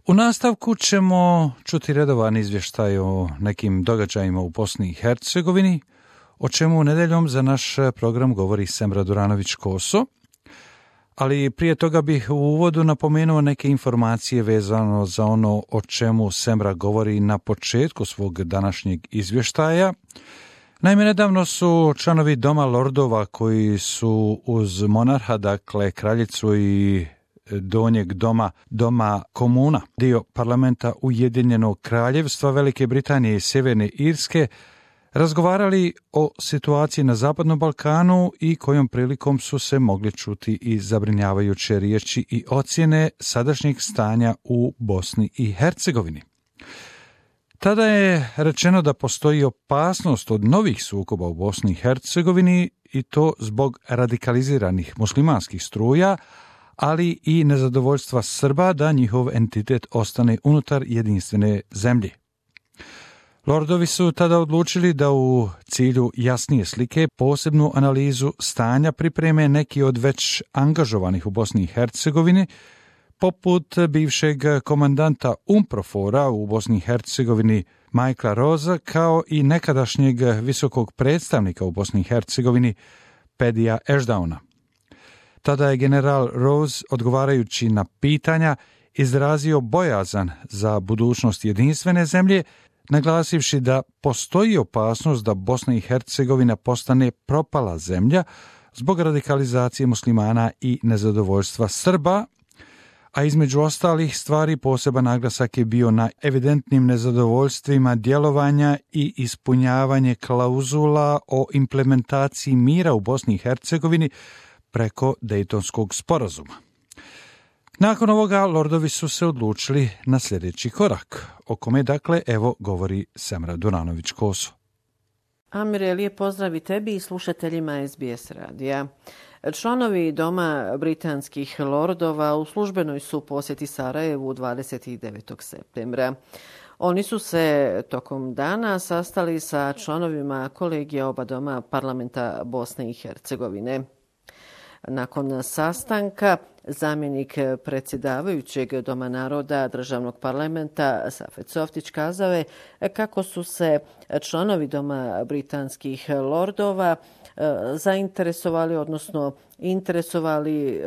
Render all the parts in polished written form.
U nastavku ćemo čuti redovan izvještaj o nekim događajima u Bosni i Hercegovini, o čemu nedeljom za naš program govori Semra Duranović-Koso. Ali prije toga bih u uvodu napomenuo neke informacije vezano za ono o čemu Semra govori na početku svog današnjeg izvještaja. Naime, nedavno su članovi Doma lordova koji su uz monarha, dakle kraljicu i donjeg doma komuna, dio parlamenta Ujedinjenog kraljevstva Velike Britanije i Sjeverne Irske, razgovarali o situaciji na Zapadnom Balkanu i kojom prilikom su se mogli čuti i zabrinjavajuće riječi i ocjene sadašnjeg stanja u Bosni i Hercegovini. Tada je rečeno da postoji opasnost od novih sukoba u Bosni i Hercegovini i to zbog radikaliziranih muslimanskih struja, ali i nezadovoljstva Srba da njihov entitet ostane unutar jedinstvene zemlje. Lordovi su tada odlučili da u cilju jasnije slike posebnu analizu stanja pripreme neki od već angažovanih u Bosni i Hercegovini, poput bivšeg komandanta UNPROFOR-a u Bosni i Hercegovini Michaela Rosa, kao i nekadašnjeg visokog predstavnika u Bosni i Hercegovini Pedija Ashdowna. Tada je general Rose, odgovarajući na pitanja, izrazio bojazan za budućnost jedinstvene zemlje, naglasivši da postoji opasnost da Bosna i Hercegovina postane propala zemlja zbog radikalizacije muslimana i nezadovoljstva Srba, a između ostalih stvari poseban naglasak je bio na evidentnim nezadovoljstvima djelovanja i ispunjavanje klauzula o implementaciji mira u Bosni i Hercegovini preko Dejtonskog sporazuma. Nakon ovoga, lordovi su se odlučili na sljedeći korak, o kome dakle evo govori Semra Duranović-Koso. Amire, lijep pozdrav i tebi i slušateljima SBS radija. Članovi Doma britanskih lordova u službenoj su posjeti Sarajevu 29. septembra. Oni su se tokom dana sastali sa članovima kolegija oba doma parlamenta Bosne i Hercegovine. Nakon sastanka, zamjenik predsjedavajućeg Doma naroda državnog parlamenta Safet Softić kazao je kako su se članovi Doma britanskih lordova zainteresovali, odnosno interesovali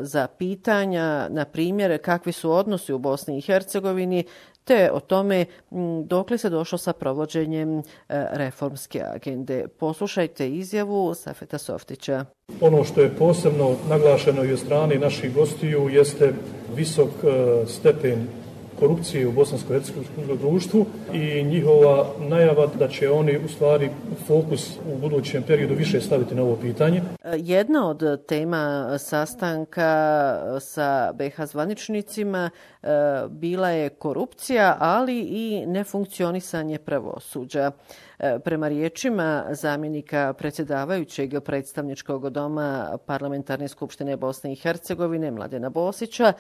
za pitanja, na primjer, kakvi su odnosi u Bosni i Hercegovini, te o tome dokle se došlo sa provođenjem reformske agende. Poslušajte izjavu Safeta Softića. Ono što je posebno naglašeno i od strane naših gostiju jeste visok stepen korupcije u bosansko-hercegovinskom društvu i njihova najava da će oni u stvari fokus u budućem periodu više staviti na ovo pitanje. Jedna od tema sastanka sa BiH zvaničnicima bila je korupcija, ali i nefunkcionisanje pravosuđa. Prema riječima zamjenika predsjedavajućeg predstavničkog doma Parlamentarne skupštine Bosne i Hercegovine Mladena Bosića,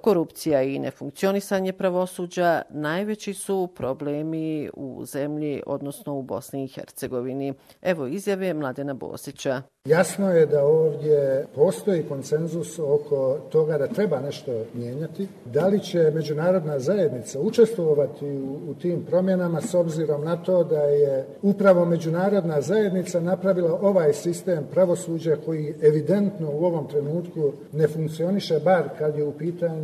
korupcija i nefunkcionisanje pravosuđa najveći su problemi u zemlji, odnosno u Bosni i Hercegovini. Evo izjave Mladena Bosića. Jasno je da ovdje postoji konsenzus oko toga da treba nešto mijenjati. Da li će međunarodna zajednica učestvovati u tim promjenama s obzirom na to da je upravo međunarodna zajednica napravila ovaj sistem pravosuđa koji evidentno u ovom trenutku ne funkcioniše, bar kad je u pitanju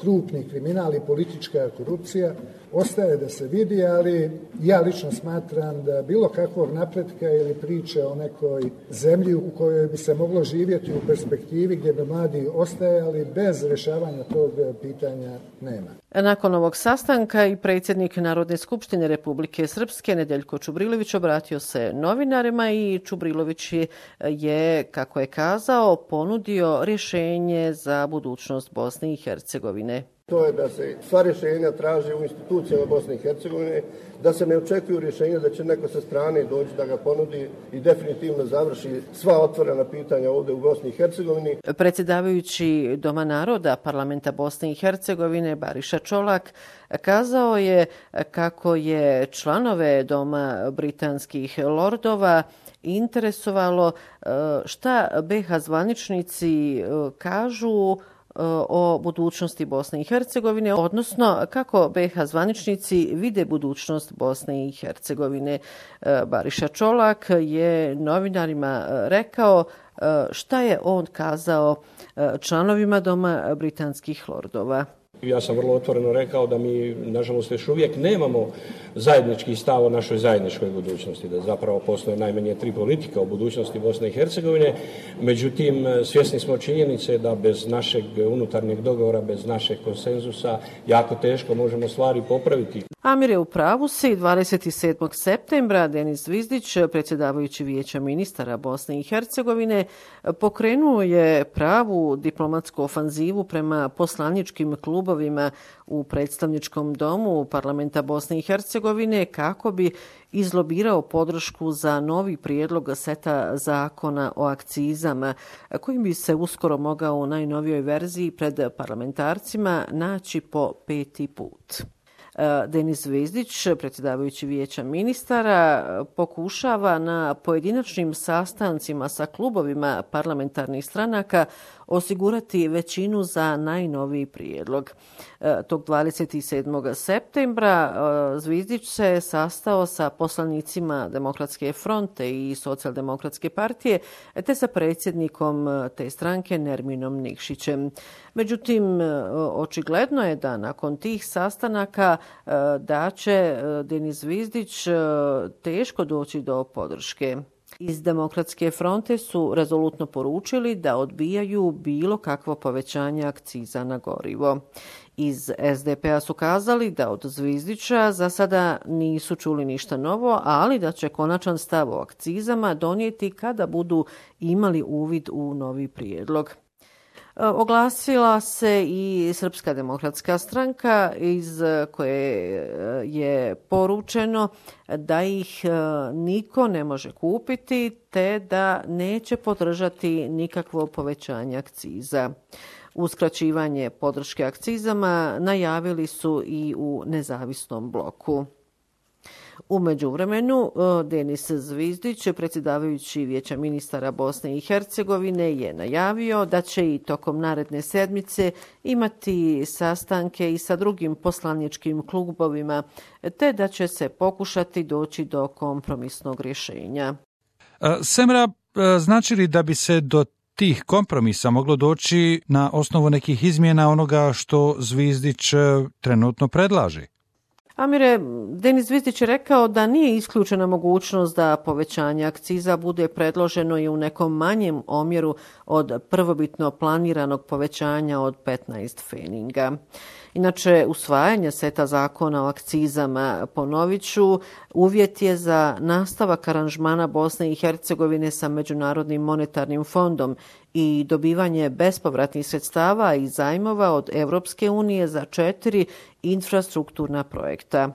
krupni kriminal i politička korupcija. Ostaje da se vidi, ali ja lično smatram da bilo kakvog napretka ili priče o nekoj zemlji u kojoj bi se moglo živjeti u perspektivi gdje bi mladi ostajali bez rješavanja tog pitanja nema. Nakon ovog sastanka i predsjednik Narodne skupštine Republike Srpske Nedeljko Čubrilović obratio se novinarima i Čubrilović je, kako je kazao, ponudio rješenje za budućnost Bosne i Hercegovine. To je da se sva rješenja traže u institucijama Bosne i Hercegovine, da se ne očekuju rješenja da će neko sa strane doći da ga ponudi i definitivno završi sva otvorena pitanja ovdje u Bosni i Hercegovini. Predsjedavajući Doma naroda Parlamenta Bosne i Hercegovine Bariša Čolak kazao je kako je članove Doma britanskih lordova interesovalo šta BiH zvaničnici kažu o budućnosti Bosne i Hercegovine, odnosno kako BiH zvaničnici vide budućnost Bosne i Hercegovine. Bariša Čolak je novinarima rekao šta je on kazao članovima Doma britanskih lordova. Ja sam vrlo otvoreno rekao da mi, nažalost, još uvijek nemamo zajednički stav o našoj zajedničkoj budućnosti, da zapravo postoje najmanje 3 politike o budućnosti Bosne i Hercegovine. Međutim, svjesni smo činjenice da bez našeg unutarnjeg dogovora, bez našeg konsenzusa, jako teško možemo stvari popraviti. Amir je u pravu si. 27. septembra Denis Zvizdić, predsjedavajući Vijeća ministara Bosne i Hercegovine, pokrenuo je pravu diplomatsku ofanzivu prema poslaničkim klubovima u predstavničkom domu parlamenta Bosne i Hercegovine kako bi izlobirao podršku za novi prijedlog seta zakona o akcizama, kojim bi se uskoro mogao u najnovijoj verziji pred parlamentarcima naći po 5. put. Denis Zvizdić, predsjedavajući Vijeća ministara, pokušava na pojedinačnim sastancima sa klubovima parlamentarnih stranaka osigurati većinu za najnoviji prijedlog. Tog 27. septembra Zvizdić se sastao sa poslanicima Demokratske fronte i Socijaldemokratske partije, te sa predsjednikom te stranke Nerminom Nikšićem. Međutim, očigledno je da nakon tih sastanaka da će Denis Zvizdić teško doći do podrške. Iz Demokratske fronte su rezolutno poručili da odbijaju bilo kakvo povećanje akciza na gorivo. Iz SDP-a su kazali da od Zvizdića za sada nisu čuli ništa novo, ali da će konačan stav o akcizama donijeti kada budu imali uvid u novi prijedlog. Oglasila se i Srpska demokratska stranka iz koje je poručeno da ih niko ne može kupiti te da neće podržati nikakvo povećanje akciza. Uskraćivanje podrške akcizama najavili su i u nezavisnom bloku. U međuvremenu, Denis Zvizdić, predsjedavajući Vijeća ministara Bosne i Hercegovine, je najavio da će i tokom naredne sedmice imati sastanke i sa drugim poslaničkim klubovima, te da će se pokušati doći do kompromisnog rješenja. Semra, znači li da bi se do tih kompromisa moglo doći na osnovu nekih izmjena onoga što Zvizdić trenutno predlaže? Amire, Denis Zvizdić je rekao da nije isključena mogućnost da povećanje akciza bude predloženo i u nekom manjem omjeru od prvobitno planiranog povećanja od 15 pfeninga. Inače, usvajanje seta zakona o akcizama, ponovit ću, uvjet je za nastavak aranžmana Bosne i Hercegovine sa Međunarodnim monetarnim fondom i dobivanje bespovratnih sredstava i zajmova od Evropske unije za 4 infrastrukturna projekta.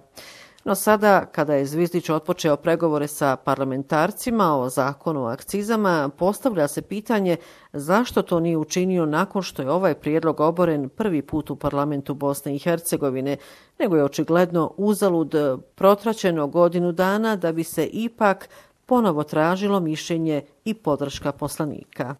No sada, kada je Zvizdić otpočeo pregovore sa parlamentarcima o zakonu o akcizama, postavlja se pitanje zašto to nije učinio nakon što je ovaj prijedlog oboren prvi put u parlamentu Bosne i Hercegovine, nego je očigledno uzalud protraćeno godinu dana da bi se ipak ponovo tražilo mišljenje i podrška poslanika.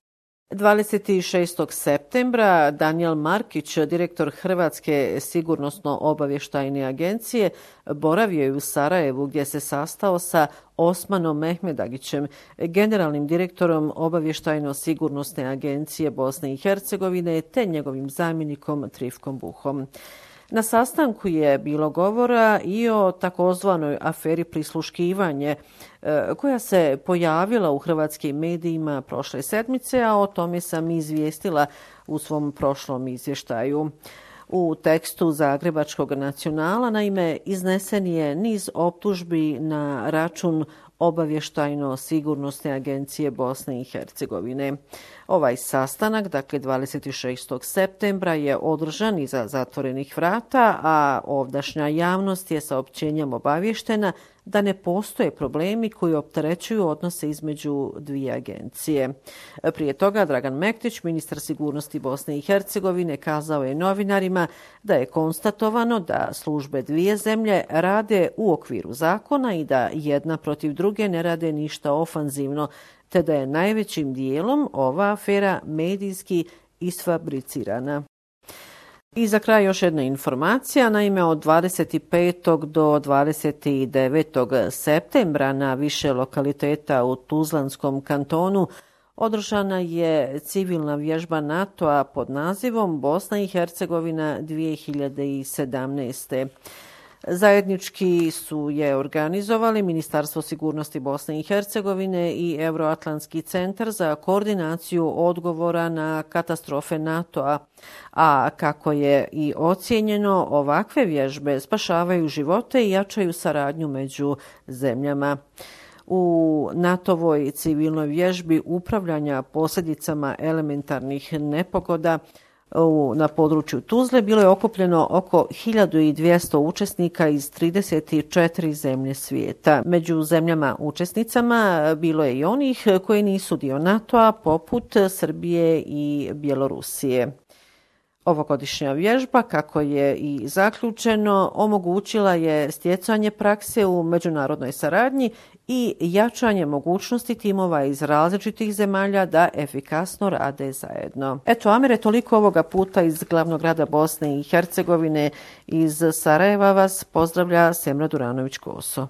26. septembra Danijel Markić, direktor Hrvatske sigurnosno-obavještajne agencije, boravio je u Sarajevu gdje se sastao sa Osmanom Mehmedagićem, generalnim direktorom obavještajno-sigurnosne agencije Bosne i Hercegovine, te njegovim zamjenikom Trifkom Buhom. Na sastanku je bilo govora i o takozvanoj aferi prisluškivanje koja se pojavila u hrvatskim medijima prošle sedmice, a o tome sam izvijestila u svom prošlom izvještaju. U tekstu Zagrebačkog nacionala, naime, iznesen je niz optužbi na račun obavještajno-sigurnosne agencije Bosne i Hercegovine. Ovaj sastanak, dakle 26. septembra, je održan iza zatvorenih vrata, a ovdašnja javnost je saopćenjem obavještena da ne postoje problemi koji opterećuju odnose između dvije agencije. Prije toga Dragan Mektić, ministar sigurnosti Bosne i Hercegovine, kazao je novinarima da je konstatovano da službe dvije zemlje rade u okviru zakona i da jedna protiv druge ne rade ništa ofanzivno, te da je najvećim dijelom ova afera medijski isfabricirana. I za kraj još jedna informacija. Naime, od 25. do 29. septembra na više lokaliteta u Tuzlanskom kantonu održana je civilna vježba NATO-a pod nazivom Bosna i Hercegovina 2017. Zajednički su je organizovali Ministarstvo sigurnosti Bosne i Hercegovine i Euroatlantski centar za koordinaciju odgovora na katastrofe NATO-a, a kako je i ocijenjeno, ovakve vježbe spašavaju živote i jačaju saradnju među zemljama. U NATO-voj civilnoj vježbi upravljanja posljedicama elementarnih nepogoda na području Tuzle bilo je okupljeno oko 1200 učesnika iz 34 zemlje svijeta. Među zemljama učesnicama bilo je i onih koji nisu dio NATO-a, poput Srbije i Bjelorusije. Ovogodišnja vježba, kako je i zaključeno, omogućila je stjecanje prakse u međunarodnoj saradnji i jačanje mogućnosti timova iz različitih zemalja da efikasno rade zajedno. Eto, Amire, toliko ovoga puta iz glavnog grada Bosne i Hercegovine. Iz Sarajeva vas pozdravlja Semra Duranović-Koso.